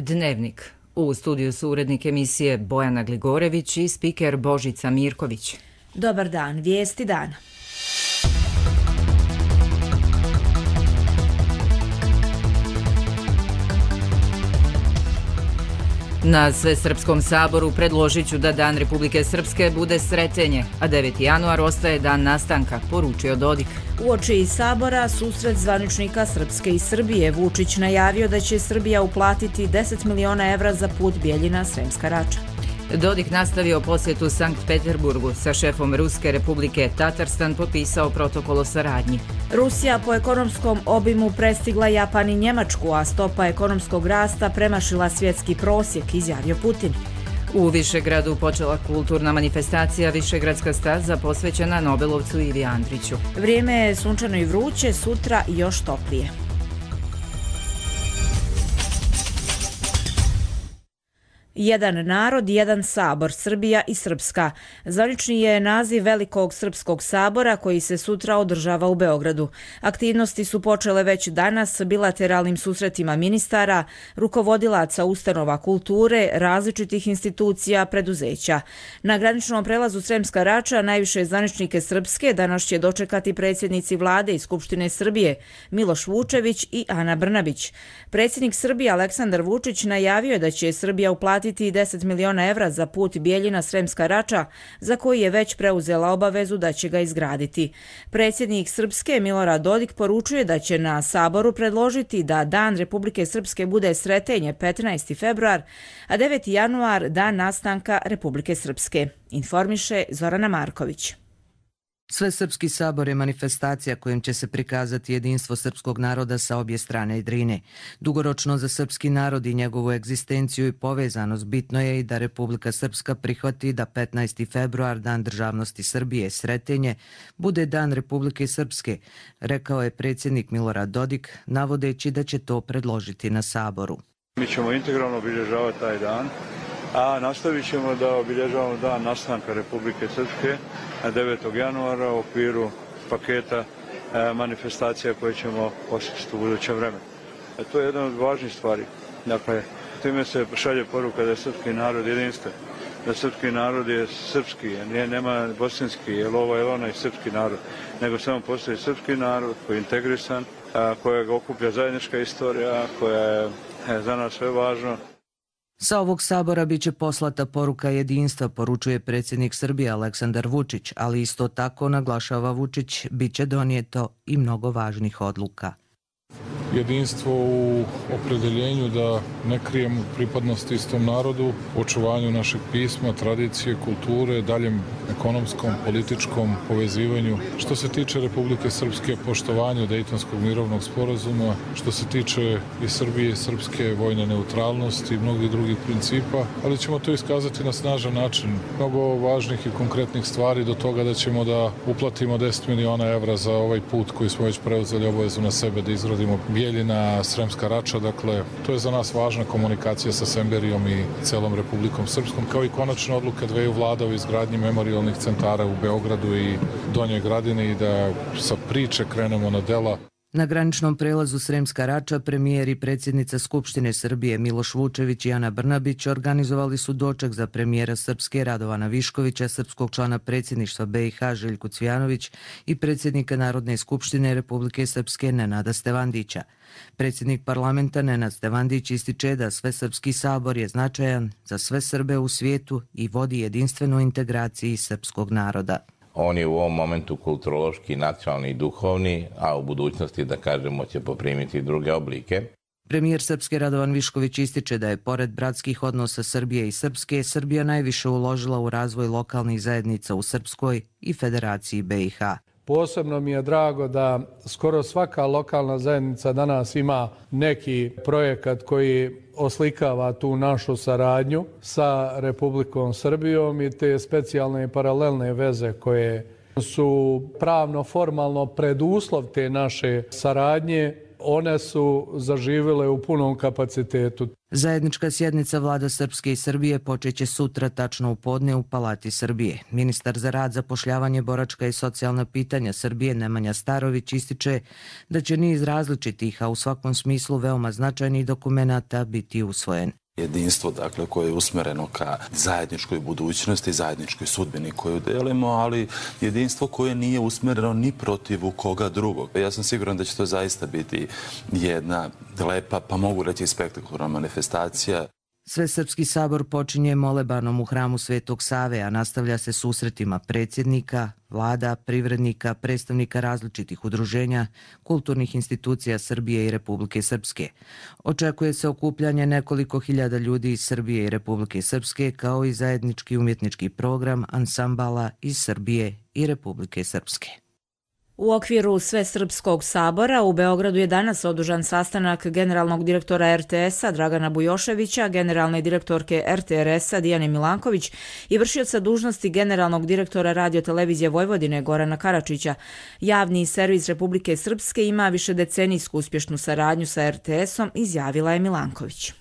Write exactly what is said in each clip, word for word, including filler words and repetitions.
Dnevnik. U studiju su urednik emisije Bojana Gligorević i spiker Božica Mirković. Dobar dan, vijesti dana. Na Svesrpskom saboru predložit ću da Dan Republike Srpske bude Sretenje, a deveti januar ostaje dan nastanka, poručio Dodik. Uoči sabora susret zvaničnika Srpske i Srbije. Vučić najavio da će Srbija uplatiti deset miliona evra za put Bijeljina-Sremska Rača. Dodik nastavio posjetu Sankt Peterburgu. Sa šefom Ruske Republike Tatarstan potpisao protokol o saradnji. Rusija po ekonomskom obimu prestigla Japan i Njemačku, a stopa ekonomskog rasta premašila svjetski prosjek, izjavio Putin. U Višegradu počela kulturna manifestacija Višegradska staza posvećena Nobelovcu Ivi Andriću. Vrijeme je sunčano i vruće, sutra još toplije. Jedan narod, jedan sabor, Srbija i Srpska. Zvanični je naziv Velikog Srpskog sabora koji se sutra održava u Beogradu. Aktivnosti su počele već danas bilateralnim susretima ministara, rukovodilaca ustanova kulture, različitih institucija, preduzeća. Na graničnom prelazu Sremska Rača najviše zvaničnike Srpske danas će dočekati predsjednici vlade i Skupštine Srbije Miloš Vučević i Ana Brnabić. Predsjednik Srbije Aleksandar Vučić najavio je da će Srbija uplatiti deset miliona evra za put Bijeljina-Sremska Rača, za koji je već preuzela obavezu da će ga izgraditi. Predsjednik Srpske Milorad Dodik poručuje da će na saboru predložiti da Dan Republike Srpske bude Sretenje petnaesti februar, a deveti januar dan nastanka Republike Srpske. Informiše Zorana Marković. Svesrpski sabor je manifestacija kojim će se prikazati jedinstvo srpskog naroda sa obje strane Drine. Dugoročno za srpski narod i njegovu egzistenciju i povezanost bitno je i da Republika Srpska prihvati da petnaesti februar, Dan državnosti Srbije, Sretenje, bude Dan Republike Srpske, rekao je predsjednik Milorad Dodik, navodeći da će to predložiti na saboru. Mi ćemo integralno obilježavati taj dan, a nastavit ćemo da obilježavamo dan nastanka Republike Srpske devetog januara u okviru paketa e, manifestacija koje ćemo posjetiti u budućem vremenu. E, to je jedna od važnih stvari. Dakle, time se šalje poruka da je srpski narod jedinstven, da srpski narod je srpski, nije, nema bosanski, je li ovo, je li onaj srpski narod, nego samo postoji srpski narod koji je integrisan, a, kojeg okuplja zajednička istorija, koja je e, za nas sve važno. Sa ovog sabora biće poslata poruka jedinstva, poručuje predsjednik Srbije Aleksandar Vučić, ali isto tako, naglašava Vučić, biće donijeto i mnogo važnih odluka. Jedinstvo u opredeljenju da ne krijemo pripadnost istom narodu, očuvanju našeg pisma, tradicije, kulture, daljem ekonomskom, političkom povezivanju. Što se tiče Republike Srpske, poštovanju Dejtonskog mirovnog sporazuma, što se tiče i Srbije i srpske vojne neutralnosti i mnogih drugih principa, ali ćemo to iskazati na snažan način. Mnogo važnih i konkretnih stvari do toga da ćemo da uplatimo deset miliona evra za ovaj put koji smo već preuzeli obavezu na sebe da izgradimo Bijeljina, Sremska Rača, dakle, to je za nas važna komunikacija sa Semberijom i celom Republikom Srpskom, kao i konačna odluka dveju vlada o izgradnji memorialnih centara u Beogradu i Donjoj Gradini i da sa priče krenemo na dela. Na graničnom prelazu Sremska Rača premijer i predsjednica Skupštine Srbije Miloš Vučević i Ana Brnabić organizovali su doček za premijera Srpske Radovana Viškovića, srpskog člana predsjedništva B i H Željku Cvijanović i predsjednika Narodne skupštine Republike Srpske Nenada Stevandića. Predsjednik parlamenta Nenad Stevandić ističe da Svesrpski sabor je značajan za sve Srbe u svijetu i vodi jedinstvenu integraciju srpskog naroda. On je u ovom momentu kulturološki, nacionalni i duhovni, a u budućnosti, da kažemo, će poprimiti druge oblike. Premijer Srpske Radovan Višković ističe da je pored bratskih odnosa Srbije i Srpske, Srbija najviše uložila u razvoj lokalnih zajednica u Srpskoj i Federaciji B i H. Posebno mi je drago da skoro svaka lokalna zajednica danas ima neki projekat koji oslikava tu našu saradnju sa Republikom Srbijom i te specijalne i paralelne veze koje su pravno, formalno preduslov te naše saradnje one su zaživjele u punom kapacitetu. Zajednička sjednica vlada Srpske i Srbije počeće sutra tačno u podne u Palati Srbije. Ministar za rad, zapošljavanje, boračka i socijalna pitanja Srbije Nemanja Starović ističe da će niz različitih, a u svakom smislu veoma značajnih dokumenata biti usvojen. Jedinstvo, dakle, koje je usmereno ka zajedničkoj budućnosti, zajedničkoj sudbini koju delimo, ali jedinstvo koje nije usmereno ni protiv koga drugog. Ja sam siguran da će to zaista biti jedna lepa, pa mogu reći i spektakularna manifestacija. Svesrpski sabor počinje molebanom u hramu Svetog Save, a nastavlja se susretima predsjednika, vlada, privrednika, predstavnika različitih udruženja, kulturnih institucija Srbije i Republike Srpske. Očekuje se okupljanje nekoliko hiljada ljudi iz Srbije i Republike Srpske, kao i zajednički umjetnički program ansambala iz Srbije i Republike Srpske. U okviru Svesrpskog sabora u Beogradu je danas održan sastanak generalnog direktora er te es-a Dragana Bujoševića, generalne direktorke er te er es-a Dijane Milanković i vršioca dužnosti generalnog direktora Radio-televizije Vojvodine Gorana Karačića. Javni servis Republike Srpske ima višedecenijsku uspješnu saradnju sa er te es-om, izjavila je Milanković.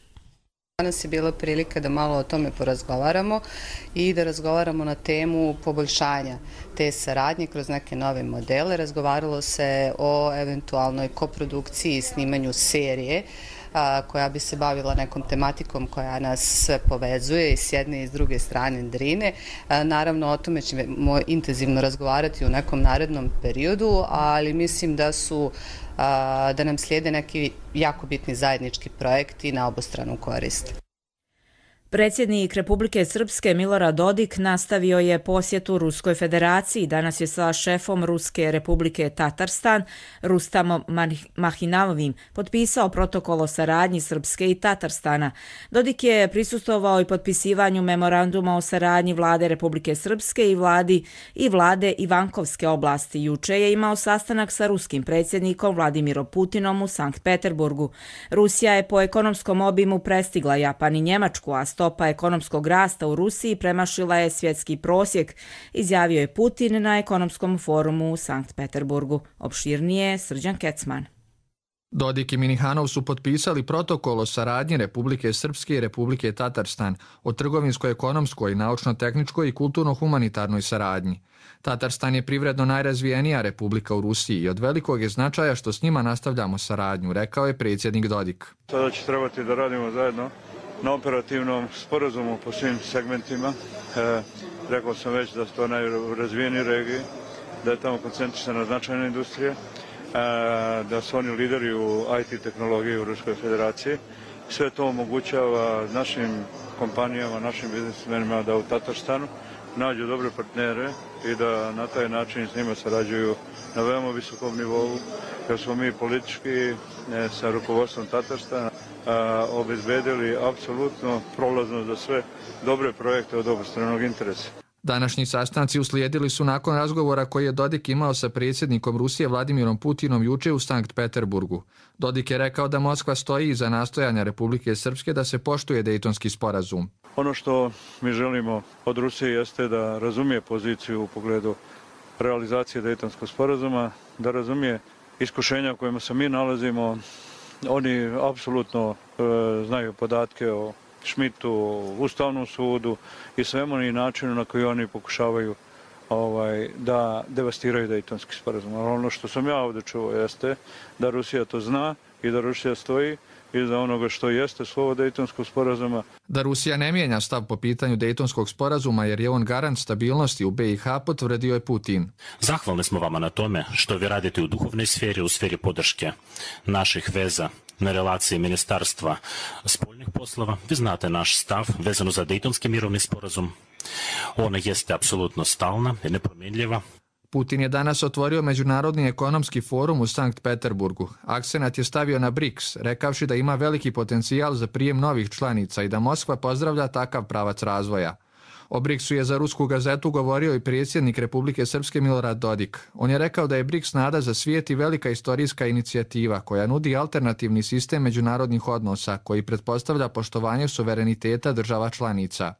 Danas je bila prilika da malo o tome porazgovaramo i da razgovaramo na temu poboljšanja te saradnje kroz neke nove modele. Razgovaralo se o eventualnoj koprodukciji i snimanju serije koja bi se bavila nekom tematikom koja nas sve povezuje i s jedne i s druge strane Drine. Naravno, o tome ćemo intenzivno razgovarati u nekom narednom periodu, ali mislim da su da nam slijede neki jako bitni zajednički projekti na obostranu korist. Predsjednik Republike Srpske Milorad Dodik nastavio je posjetu Ruskoj federaciji. Danas je sa šefom Ruske republike Tatarstan, Rustamom Mahinavovim, potpisao protokol o saradnji Srpske i Tatarstana. Dodik je prisustvovao i potpisivanju memoranduma o saradnji vlade Republike Srpske i vladi i vlade Ivankovske oblasti. Juče je imao sastanak sa ruskim predsjednikom Vladimirom Putinom u Sankt Peterburgu. Rusija je po ekonomskom obimu prestigla Japan i Njemačku, a stopa ekonomskog rasta u Rusiji premašila je svjetski prosjek, izjavio je Putin na ekonomskom forumu u Sankt Peterburgu. Opširnije Srđan Kecman. Dodik i Minihanov su potpisali protokol o saradnji Republike Srpske i Republike Tatarstan o trgovinskoj, ekonomskoj, naučno-tehničkoj i kulturno-humanitarnoj saradnji. Tatarstan je privredno najrazvijenija republika u Rusiji i od velikog je značaja što s njima nastavljamo saradnju, rekao je predsjednik Dodik. Sada će trebati da radimo zajedno na operativnom sporazumu po svim segmentima. E, rekao sam već da su to najrazvijeniji regiji, da je tamo koncentrisana značajna industrija, e, da su oni lideri u i te tehnologiji u Ruskoj federaciji. Sve to omogućava našim kompanijama, našim biznismenima da u Tatarstanu nađu dobre partnere i da na taj način s njima sarađuju na veoma visokom nivou, jer smo mi politički e, sa rukovodstvom Tatarstana a, obezbedili apsolutno prolaznost za sve dobre projekte od obostranog interesa. Današnji sastanci uslijedili su nakon razgovora koji je Dodik imao sa predsjednikom Rusije Vladimirom Putinom juče u Sankt Peterburgu. Dodik je rekao da Moskva stoji iza nastojanja Republike Srpske da se poštuje Dejtonski sporazum. Ono što mi želimo od Rusije jeste da razumije poziciju u pogledu realizacije Dejtonskog sporazuma, da razumije iskušenja u kojima se mi nalazimo. Oni apsolutno e, znaju podatke o Šmitu, o Ustavnom sudu i svemu i načinu na koji oni pokušavaju ovaj, da devastiraju Dejtonski sporazum. Ali ono što sam ja ovdje čuo jeste da Rusija to zna i da Rusija stoji iza onoga što jeste slovo Dejtonskog sporazuma. Da Rusija ne mijenja stav po pitanju Dejtonskog sporazuma jer je on garant stabilnosti u be i ha, potvrdio je Putin. Zahvalni smo vama na tome što vi radite u duhovnoj sferi, u sferi podrške naših veza na relaciji Ministarstva spoljnih poslova. Vi znate naš stav vezano za Dejtonski mirovni sporazum. Ona jeste apsolutno stalna i nepromjenljiva. Putin je danas otvorio Međunarodni ekonomski forum u Sankt Peterburgu. Akcenat je stavio na briks, rekavši da ima veliki potencijal za prijem novih članica i da Moskva pozdravlja takav pravac razvoja. O briksu je za rusku gazetu govorio i predsjednik Republike Srpske Milorad Dodik. On je rekao da je briks nada za svijet i velika istorijska inicijativa koja nudi alternativni sistem međunarodnih odnosa koji pretpostavlja poštovanje suvereniteta država članica.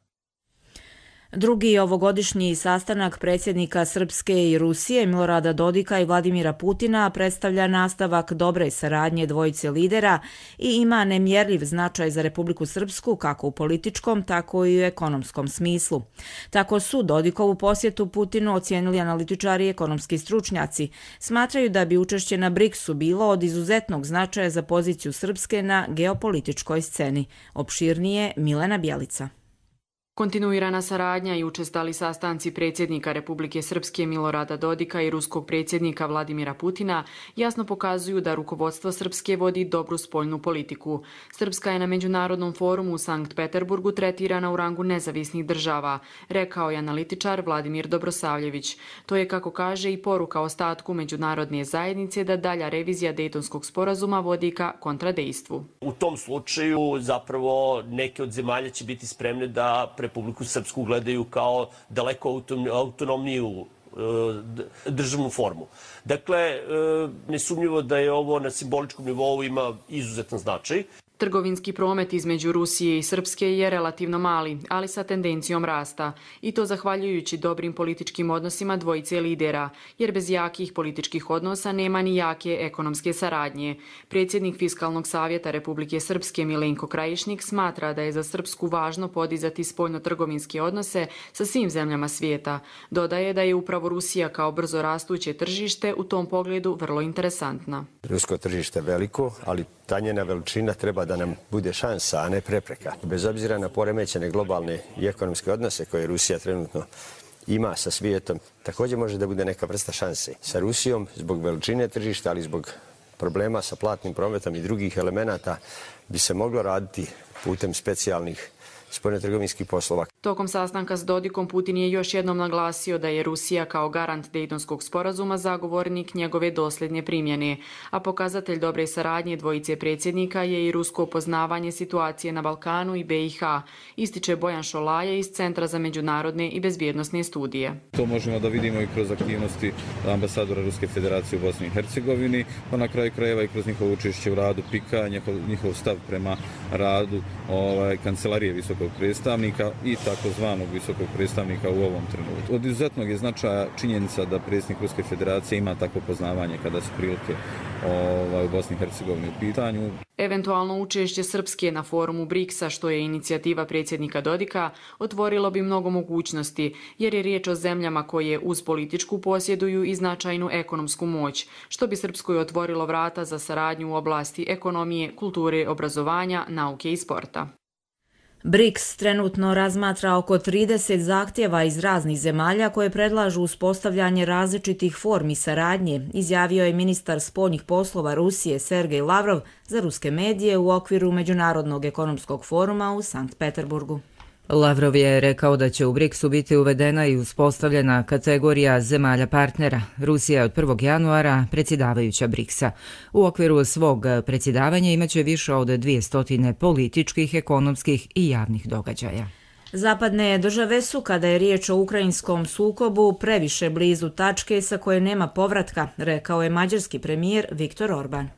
Drugi ovogodišnji sastanak predsjednika Srpske i Rusije Milorada Dodika i Vladimira Putina predstavlja nastavak dobre saradnje dvojice lidera i ima nemjerljiv značaj za Republiku Srpsku kako u političkom, tako i u ekonomskom smislu. Tako su Dodikovu posjetu Putinu ocijenili analitičari i ekonomski stručnjaci. Smatraju da bi učešće na briksu bilo od izuzetnog značaja za poziciju Srpske na geopolitičkoj sceni. Opširnije Milena Bjelica. Kontinuirana saradnja i učestali sastanci predsjednika Republike Srpske Milorada Dodika i ruskog predsjednika Vladimira Putina jasno pokazuju da rukovodstvo Srpske vodi dobru spoljnu politiku. Srpska je na Međunarodnom forumu u Sankt Peterburgu tretirana u rangu nezavisnih država, rekao je analitičar Vladimir Dobrosavljević. To je, kako kaže, i poruka ostatku međunarodne zajednice da dalja revizija Dejtonskog sporazuma vodi ka kontradejstvu. U tom slučaju zapravo neke od zemalja će biti spremne da Republiku Srpsku gledaju kao daleko autonomniju državnu formu. Dakle, nesumnjivo da je ovo na simboličkom nivou ima izuzetan značaj. Trgovinski promet između Rusije i Srpske je relativno mali, ali sa tendencijom rasta. I to zahvaljujući dobrim političkim odnosima dvojice lidera, jer bez jakih političkih odnosa nema ni jake ekonomske saradnje. Predsjednik Fiskalnog savjeta Republike Srpske Milenko Krajišnik smatra da je za Srpsku važno podizati spoljno-trgovinske odnose sa svim zemljama svijeta. Dodaje da je upravo Rusija kao brzo rastuće tržište u tom pogledu vrlo interesantna. Rusko tržište je veliko, ali ta njena veličina treba da nam bude šansa, a ne prepreka. Bez obzira na poremećene globalne i ekonomske odnose koje Rusija trenutno ima sa svijetom, također može da bude neka vrsta šanse. Sa Rusijom, zbog veličine tržišta, ali zbog problema sa platnim prometom i drugih elemenata, bi se moglo raditi putem specijalnih spoljnotrgovinskih poslova. Tokom sastanka s Dodikom Putin je još jednom naglasio da je Rusija kao garant Dejtonskog sporazuma zagovornik njegove dosljednje primjene, a pokazatelj dobre saradnje dvojice predsjednika je i rusko poznavanje situacije na Balkanu i be i ha, ističe Bojan Šolaje iz Centra za međunarodne i bezbjednosne studije. To možemo da vidimo i kroz aktivnosti ambasadora Ruske federacije u Bosni i Hercegovini, pa na kraju krajeva i kroz njihovo učešće u radu pika, njihov, njihov stav prema radu ovaj, kancelarije visokog predstavnika i takozvanog visokog predstavnika u ovom trenutku. Od izuzetnog je značaja činjenica da predsjednik Ruske federacije ima takvo poznavanje kada su prilike ovaj, u Bosni i Hercegovini u pitanju. Eventualno učešće Srpske na forumu briksa, što je inicijativa predsjednika Dodika, otvorilo bi mnogo mogućnosti, jer je riječ o zemljama koje uz političku posjeduju i značajnu ekonomsku moć, što bi Srpskoj otvorilo vrata za saradnju u oblasti ekonomije, kulture, obrazovanja, nauke i sporta. briks trenutno razmatra oko trideset zahtjeva iz raznih zemalja koje predlažu uspostavljanje različitih formi saradnje, izjavio je ministar spoljnih poslova Rusije Sergej Lavrov za ruske medije u okviru Međunarodnog ekonomskog foruma u Sankt Peterburgu. Lavrov je rekao da će u briksu biti uvedena i uspostavljena kategorija zemalja partnera. Rusija je od prvog januara predsjedavajuća briksa. U okviru svog predsjedavanja imaće više od dvjesto političkih, ekonomskih i javnih događaja. Zapadne države su, kada je riječ o ukrajinskom sukobu, previše blizu tačke sa koje nema povratka, rekao je mađarski premijer Viktor Orban.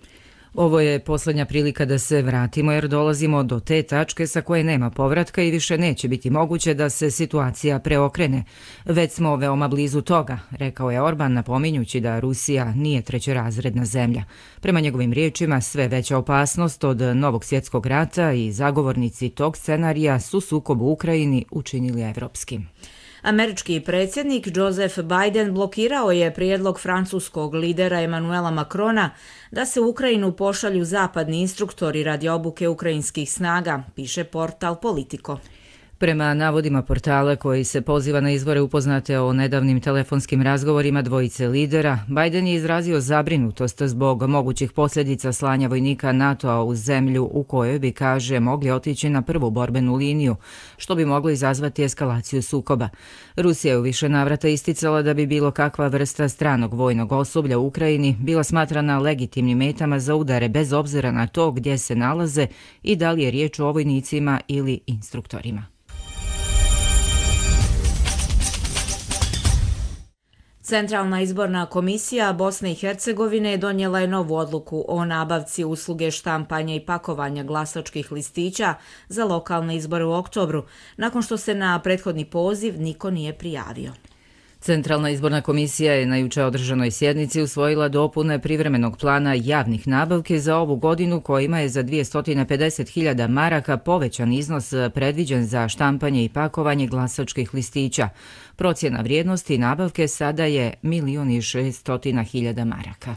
Ovo je posljednja prilika da se vratimo jer dolazimo do te tačke sa koje nema povratka i više neće biti moguće da se situacija preokrene. Već smo veoma blizu toga, rekao je Orban, napominjući da Rusija nije trećerazredna zemlja. Prema njegovim riječima, sve veća opasnost od novog svjetskog rata i zagovornici tog scenarija su sukob u Ukrajini učinili evropskim. Američki predsjednik Joseph Biden blokirao je prijedlog francuskog lidera Emmanuela Macrona da se u Ukrajinu pošalju zapadni instruktori radi obuke ukrajinskih snaga, piše portal Politico. Prema navodima portala koji se poziva na izvore upoznate o nedavnim telefonskim razgovorima dvojice lidera, Biden je izrazio zabrinutost zbog mogućih posljedica slanja vojnika NATO-a u zemlju u kojoj bi, kaže, mogli otići na prvu borbenu liniju, što bi moglo izazvati eskalaciju sukoba. Rusija je u više navrata isticala da bi bilo kakva vrsta stranog vojnog osoblja u Ukrajini bila smatrana legitimnim metama za udare bez obzira na to gdje se nalaze i da li je riječ o vojnicima ili instruktorima. Centralna izborna komisija Bosne i Hercegovine donijela je novu odluku o nabavci usluge štampanja i pakovanja glasačkih listića za lokalne izbore u oktobru, nakon što se na prethodni poziv niko nije prijavio. Centralna izborna komisija je na juče održanoj sjednici usvojila dopune privremenog plana javnih nabavke za ovu godinu kojima je za dvjesto pedeset hiljada maraka povećan iznos predviđen za štampanje i pakovanje glasačkih listića. Procjena vrijednosti nabavke sada je milion i šesto hiljada maraka.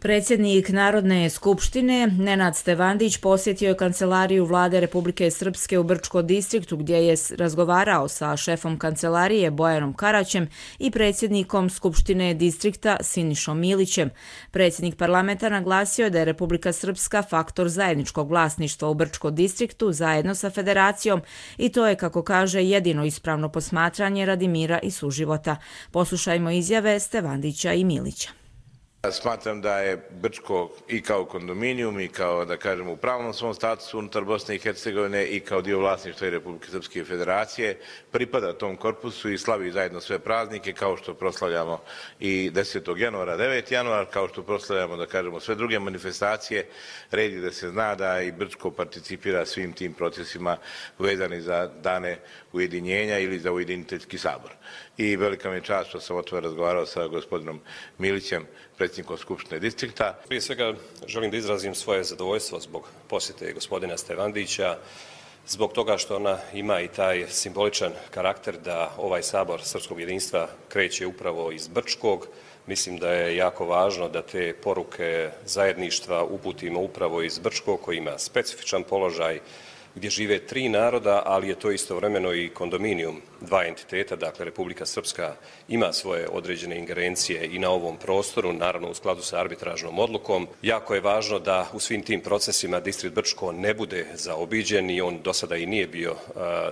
Predsjednik Narodne skupštine Nenad Stevandić posjetio je kancelariju vlade Republike Srpske u Brčko distriktu gdje je razgovarao sa šefom kancelarije Bojanom Karaćem i predsjednikom skupštine distrikta Sinišom Milićem. Predsjednik parlamenta naglasio je da je Republika Srpska faktor zajedničkog vlasništva u Brčko distriktu zajedno sa federacijom i to je, kako kaže, jedino ispravno posmatranje radi mira i suživota. Poslušajmo izjave Stevandića i Milića. Smatram da je Brčko i kao kondominijum i kao, da kažemo, u pravnom svom statusu unutar Bosne i Hercegovine i kao dio vlasništva i Republike Srpske federacije pripada tom korpusu i slavi zajedno sve praznike, kao što proslavljamo i desetog januara, deveti januar, kao što proslavljamo, da kažemo, sve druge manifestacije. Red je da se zna da i Brčko participira svim tim procesima vezani za dane ujedinjenja ili za ujediniteljski sabor. I velika mi je čast što sam o tome razgovarao sa gospodinom Milićem, predsjednikom Skupštine distrikta. Prije svega želim da izrazim svoje zadovoljstvo zbog posjete gospodina Stevandića, zbog toga što ona ima i taj simboličan karakter da ovaj sabor srpskog jedinstva kreće upravo iz Brčkog. Mislim da je jako važno da te poruke zajedništva uputimo upravo iz Brčkog, koji ima specifičan položaj, gdje žive tri naroda, ali je to istovremeno i kondominijum dva entiteta, dakle Republika Srpska ima svoje određene ingerencije i na ovom prostoru, naravno u skladu sa arbitražnom odlukom. Jako je važno da u svim tim procesima distrikt Brčko ne bude zaobiđen i on do sada i nije bio uh,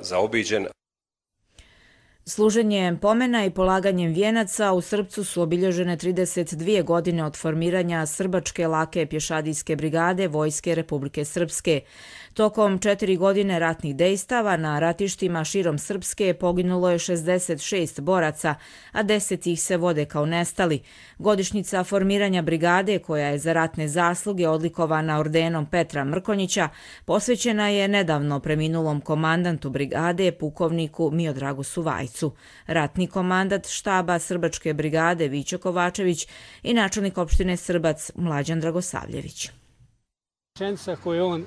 zaobiđen. Služenjem pomena i polaganjem vijenaca u Srpcu su obilježene trideset dvije godine od formiranja Srbačke lake pješadijske brigade Vojske Republike Srpske. Tokom četiri godine ratnih dejstava na ratištima širom Srpske poginulo je šezdeset šest boraca, a deset ih se vode kao nestali. Godišnjica formiranja brigade, koja je za ratne zasluge odlikovana ordenom Petra Mrkonjića, posvećena je nedavno preminulom komandantu brigade, pukovniku Miodragu Suvajcu. Ratni komandant štaba Srbačke brigade Vićo Kovačević i načelnik opštine Srbac Mlađan Dragosavljević. Rečenica koju on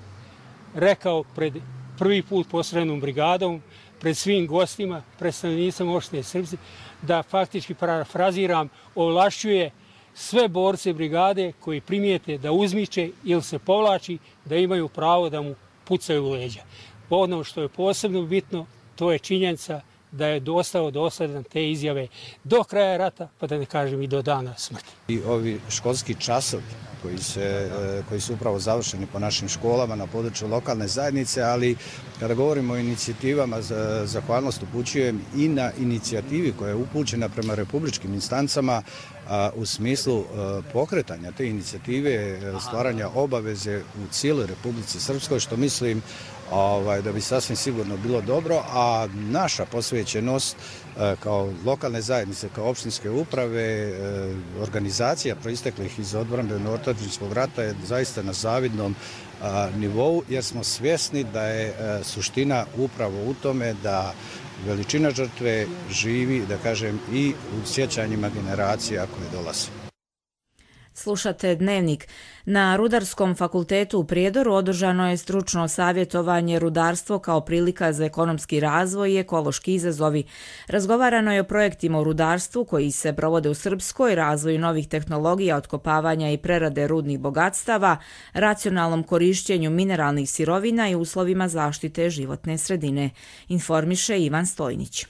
rekao pred prvi put posrednom brigadom, pred svim gostima, pred stanovnicima opštine Srpci, da faktički parafraziram, ovlašćuje sve borce brigade koji primijete da uzmiče ili se povlači, da imaju pravo da mu pucaju u leđa. Ono što je posebno bitno, to je činjenica da je dostao dosledan te izjave do kraja rata, pa da ne kažem i do dana smrti. I ovi školski časovi koji, se, koji su upravo završeni po našim školama na području lokalne zajednice, ali kada govorimo o inicijativama, zahvalnost upućujem i na inicijativi koja je upućena prema republičkim instancama a, u smislu a, pokretanja te inicijative, stvaranja obaveze u cijeloj Republici Srpskoj, što mislim Ovaj, da bi sasvim sigurno bilo dobro, a naša posvećenost e, kao lokalne zajednice, kao opštinske uprave, e, organizacija proisteklih iz odbrambeno-otadžbinskog rata je zaista na zavidnom a, nivou, jer smo svjesni da je a, suština upravo u tome da veličina žrtve živi, da kažem, i u sjećanjima generacija koje dolaze. Slušate Dnevnik. Na Rudarskom fakultetu u Prijedoru održano je stručno savjetovanje rudarstvo kao prilika za ekonomski razvoj i ekološki izazovi. Razgovarano je o projektima u rudarstvu koji se provode u Srpskoj, razvoju novih tehnologija, otkopavanja i prerade rudnih bogatstava, racionalnom korišćenju mineralnih sirovina i uslovima zaštite životne sredine, informiše Ivan Stojnić.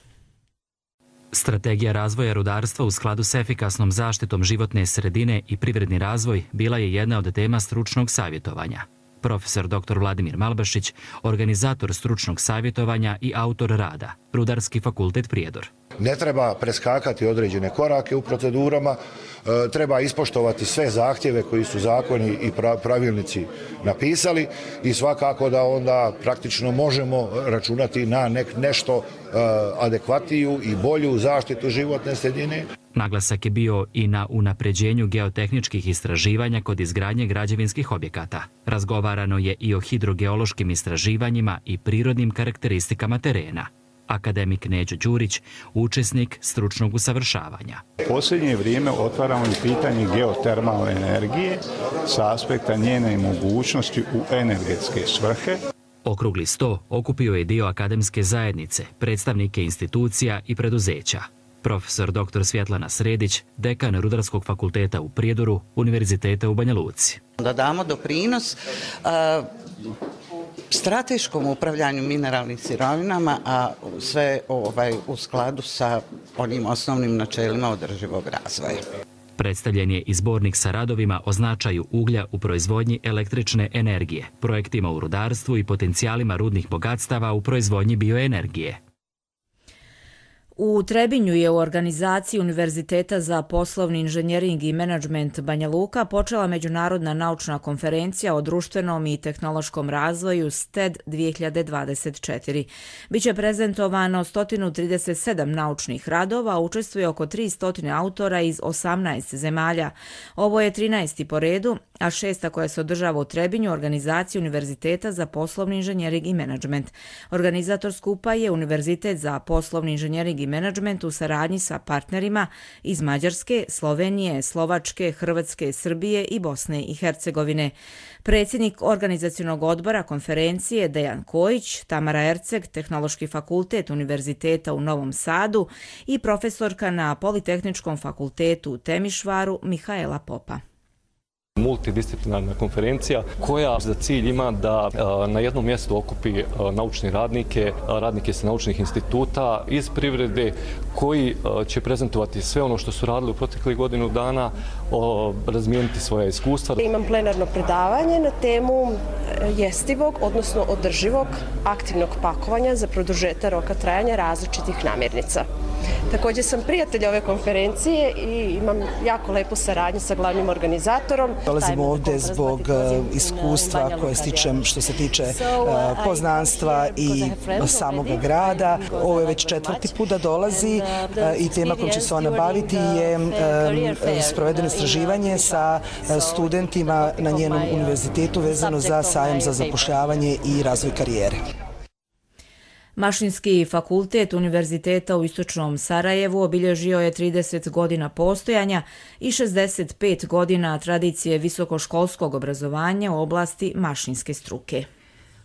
Strategija razvoja rudarstva u skladu s efikasnom zaštitom životne sredine i privredni razvoj bila je jedna od tema stručnog savjetovanja. Profesor doktor Vladimir Malbašić, organizator stručnog savjetovanja i autor rada, Rudarski fakultet Prijedor. Ne treba preskakati određene korake u procedurama, treba ispoštovati sve zahtjeve koji su zakoni i pravilnici napisali i svakako da onda praktično možemo računati na nešto adekvatniju i bolju zaštitu životne sredine. Naglasak je bio i na unapređenju geotehničkih istraživanja kod izgradnje građevinskih objekata. Razgovarano je i o hidrogeološkim istraživanjima i prirodnim karakteristikama terena. Akademik Neđo Đurić, učesnik stručnog usavršavanja. U posljednje vrijeme otvaramo i pitanje geotermalne energije sa aspekta njene mogućnosti u energetske svrhe. Okrugli sto okupio je dio akademske zajednice, predstavnike institucija i preduzeća. Profesor doktor Svjetlana Sredić, dekan Rudarskog fakulteta u Prijedoru, Univerziteta u Banja Luci. Da damo doprinos a, strateškom upravljanju mineralnim sirovinama, a sve ovaj, u skladu sa onim osnovnim načelima održivog razvoja. Predstavljen je i zbornik sa radovima o značaju uglja u proizvodnji električne energije, projektima u rudarstvu i potencijalima rudnih bogatstava u proizvodnji bioenergije. U Trebinju je u organizaciji Univerziteta za poslovni inženjering i menadžment Banja Luka počela međunarodna naučna konferencija o društvenom i tehnološkom razvoju S T E D dvije hiljade dvadeset četiri. Biće prezentovano sto trideset sedam naučnih radova, učestvuje oko tristo autora iz osamnaest zemalja. Ovo je trinaesti po redu, a šesta koja se održava u Trebinju, organizacija Univerziteta za poslovni inženjering i menadžment. Organizator skupa je Univerzitet za poslovni inženjering i menadžment u saradnji sa partnerima iz Mađarske, Slovenije, Slovačke, Hrvatske, Srbije i Bosne i Hercegovine. Predsjednik organizacionog odbora konferencije Dejan Kojić, Tamara Erceg, Tehnološki fakultet Univerziteta u Novom Sadu i profesorka na Politehničkom fakultetu u Temišvaru Mihaela Popa. Multidisciplinarna konferencija koja za cilj ima da na jednom mjestu okupi naučne radnike, radnike sa naučnih instituta iz privrede koji će prezentovati sve ono što su radili u proteklih godinu dana, razmijeniti svoja iskustva. Imam plenarno predavanje na temu jestivog, odnosno održivog aktivnog pakovanja za produžetak roka trajanja različitih namirnica. Također sam prijatelj ove konferencije i imam jako lepu saradnju sa glavnim organizatorom. Dolazimo ovdje zbog iskustva koje stičem što se tiče poznanstva i samog grada. Ovo je već četvrti put da dolazi i tema kojom će se ona baviti je sprovedeno istraživanje sa studentima na njenom univerzitetu vezano za sajam za zapošljavanje i razvoj karijere. Mašinski fakultet Univerziteta u Istočnom Sarajevu obilježio je trideset godina postojanja i šezdeset pet godina tradicije visokoškolskog obrazovanja u oblasti mašinske struke.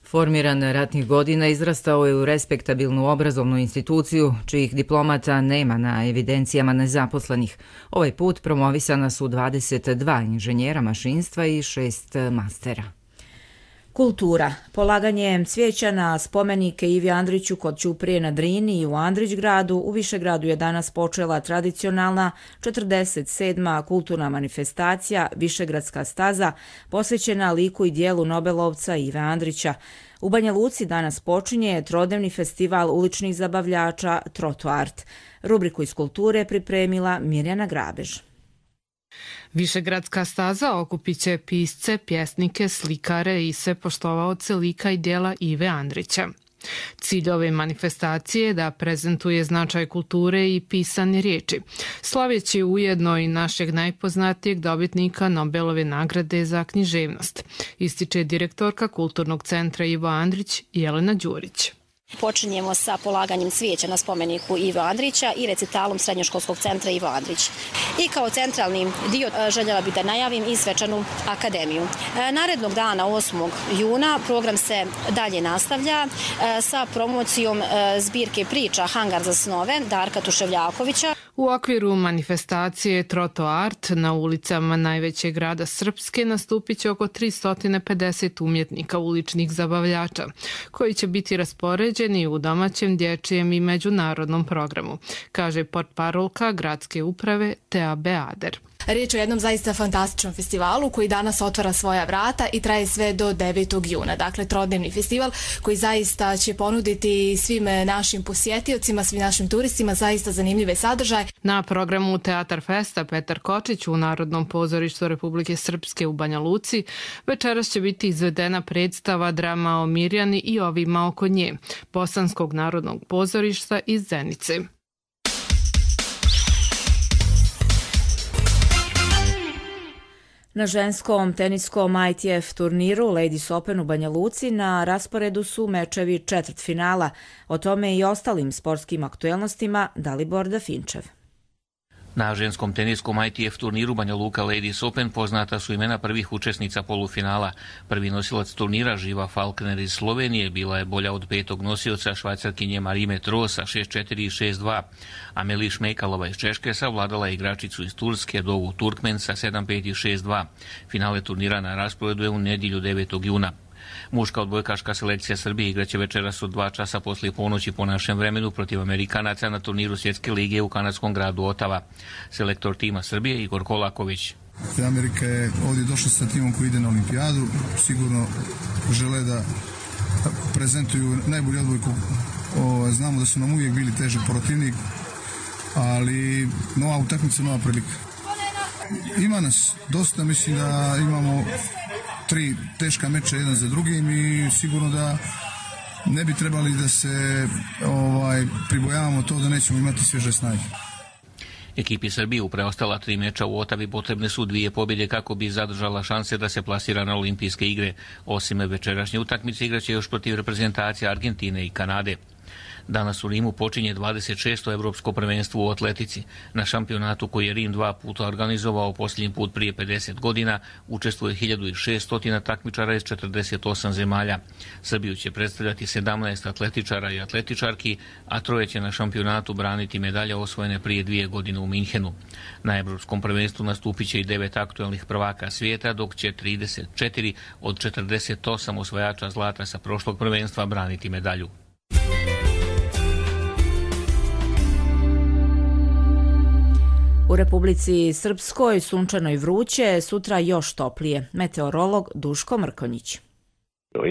Formiran ratnih godina izrastao je u respektabilnu obrazovnu instituciju, čijih diplomata nema na evidencijama nezaposlenih. Ovaj put promovisana su dvadeset dva inženjera mašinstva i šest mastera. Kultura. Polaganjem cvijeća na spomenike Ivi Andriću kod Ćuprije na Drini i u Andrićgradu, u Višegradu je danas počela tradicionalna četrdeset sedma kulturna manifestacija Višegradska staza posvećena liku i dijelu Nobelovca Ive Andrića. U Banja Luci danas počinje trodnevni festival uličnih zabavljača Trotoart. Rubriku iz kulture pripremila Mirjana Grabež. Višegradska staza okupit će pisce, pjesnike, slikare i sve poštovaoce lika i dijela Ive Andrića. Cilj ove manifestacije je da prezentuje značaj kulture i pisane riječi, slaveći ujedno i našeg najpoznatijeg dobitnika Nobelove nagrade za književnost, ističe direktorka Kulturnog centra Ivo Andrić Jelena Đurić. Počinjemo sa polaganjem cvijeća na spomeniku Ivo Andrića i recitalom Srednjoškolskog centra Ivo Andrić. I kao centralni dio željela bih da najavim i svečanu akademiju. Narednog dana, osmog juna, program se dalje nastavlja sa promocijom zbirke priča Hangar za snove Darka Tuševljakovića. U okviru manifestacije Trotoart na ulicama najvećeg grada Srpske nastupit će oko tristo pedeset umjetnika uličnih zabavljača, koji će biti raspoređeni u domaćem, dječjem i međunarodnom programu, kaže portparolka gradske uprave Tea Beader. Riječ je o jednom zaista fantastičnom festivalu koji danas otvara svoja vrata i traje sve do devetog juna. Dakle, trodnevni festival koji zaista će ponuditi svim našim posjetiocima, svim našim turistima zaista zanimljive sadržaje. Na programu Teatar Festa Petar Kočić u Narodnom pozorištu Republike Srpske u Banja Luci večeras će biti izvedena predstava drama o Mirjani i ovima oko nje, Bosanskog narodnog pozorišta iz Zenice. Na ženskom teniskom I T F turniru Ladies Open u Banja Luci na rasporedu su mečevi četvrtfinala. O tome i ostalim sportskim aktuelnostima Dalibor Dafinčev. Na ženskom teniskom I T F turniru Banja Luka Ladies Open poznata su imena prvih učesnica polufinala. Prvi nosilac turnira Živa Falkner iz Slovenije bila je bolja od petog nosioca Švajcarkinje Marime Trosa šest četiri i šest dva. Ameli Šmejkalova iz Češke savladala igračicu iz Turske Dovu Turkmen sa sedam pet i šest dva. Finale turnira na rasporedu je u nedjelju devetog juna. Muška odbojkaška selekcija Srbije igraće večeras od dva časa poslije ponoći po našem vremenu protiv Amerikanaca na turniru Svjetske lige u kanadskom gradu Otava. Selektor tima Srbije Igor Kolaković. Amerika je ovdje došla sa timom koji ide na olimpijadu. Sigurno žele da prezentuju najbolju odbojku. Znamo da su nam uvijek bili težak protivnik, ali nova utakmica, nova prilika. Ima nas dosta, mislim da imamo tri teška meča jedan za drugim i sigurno da ne bi trebali da se ovaj, pribojavamo to da nećemo imati svježe snage. Ekipi Srbije u preostala tri meča u Otavi potrebne su dvije pobjede kako bi zadržala šanse da se plasira na olimpijske igre. Osim večerašnje utakmice igraće još protiv reprezentacije Argentine i Kanade. Danas u Rimu počinje dvadeset šesto evropsko prvenstvo u atletici. Na šampionatu koji je Rim dva puta organizovao posljednji put prije pedeset godina učestvuje hiljadu šesto takmičara iz četrdeset osam zemalja. Srbiju će predstavljati sedamnaest atletičara i atletičarki, a troje će na šampionatu braniti medalje osvojene prije dvije godine u Minhenu. Na evropskom prvenstvu nastupit će i devet aktuelnih prvaka svijeta, dok će trideset četiri od četrdeset osam osvajača zlata sa prošlog prvenstva braniti medalju. U Republici Srpskoj sunčano i vruće, sutra još toplije. Meteorolog Duško Mrkonjić.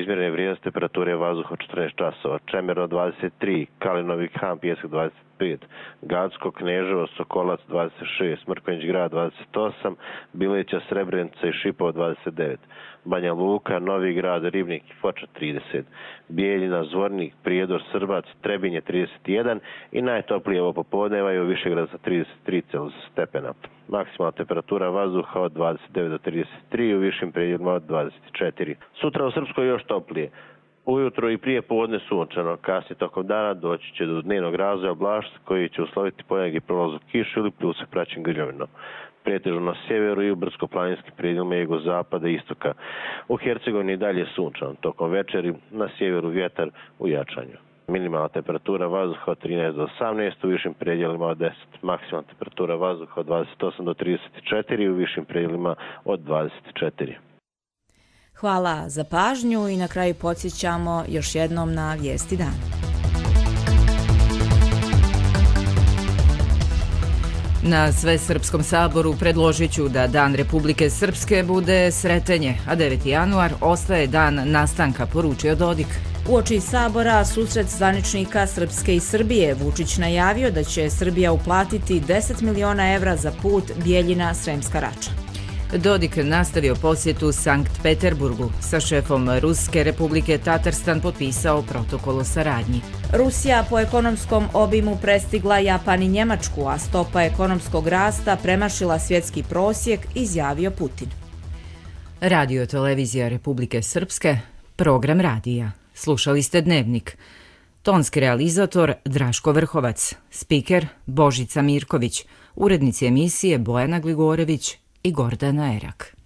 Izmjerene vrijednosti temperature vazduha četrnaest časova, Čemerno dvadeset tri, Kalinovi Han, Pijesak dvadeset pet, Gacko, Kneževo, Sokolac dvadeset šest, Mrkonjić grad dvadeset osam, Bileća, Srebrenica i Šipovo dvadeset devet, Banja Luka, Novi grad, Ribnik i Foča trideset, Bijeljina, Zvornik, Prijedor, Srbac, Trebinje trideset jedan i najtoplije ovo popodneva je u Višegradu sa trideset tri stepena. Maksimalna temperatura vazduha od dvadeset devet do trideset tri, u višim predjelima od dvadeset četiri. Sutra u Srpskoj još toplije. Ujutro i prije podne sunčano, kasnije tokom dana doći će do dnevnog razvoja oblačnosti koji će usloviti ponegdje prolazak kišu ili pljusak praćen grljovinom. Pretežno na sjeveru i u brdsko-planinskim predjelima jugozapada i istoka. U Hercegovini i dalje sunčano, tokom večeri na sjeveru vjetar u jačanju. Minimalna temperatura vazduha od trinaest do osamnaest, u višim predjelima od deset. Maksimalna temperatura vazduha od dvadeset osam do trideset četiri, u višim predjelima od dvadeset četiri. Hvala za pažnju i na kraju podsjećamo još jednom na vijesti dana. Na Svesrpskom saboru predložit ću da Dan Republike Srpske bude Sretenje, a deveti januar ostaje dan nastanka, poručio Dodik. Uoči sabora susret zvaničnika Srpske i Srbije, Vučić najavio da će Srbija uplatiti deset miliona evra za put Bijeljina-Sremska Rača. Dodik nastavio posjetu Sankt Peterburgu. Sa šefom Ruske Republike Tatarstan potpisao protokol o saradnji. Rusija po ekonomskom obimu prestigla Japan i Njemačku, a stopa ekonomskog rasta premašila svjetski prosjek, izjavio Putin. Radio televizija Republike Srpske, program radija. Slušali ste Dnevnik. Tonski realizator Draško Vrhovac, spiker Božica Mirković, urednici emisije Bojana Gligorević i Gordana Erak.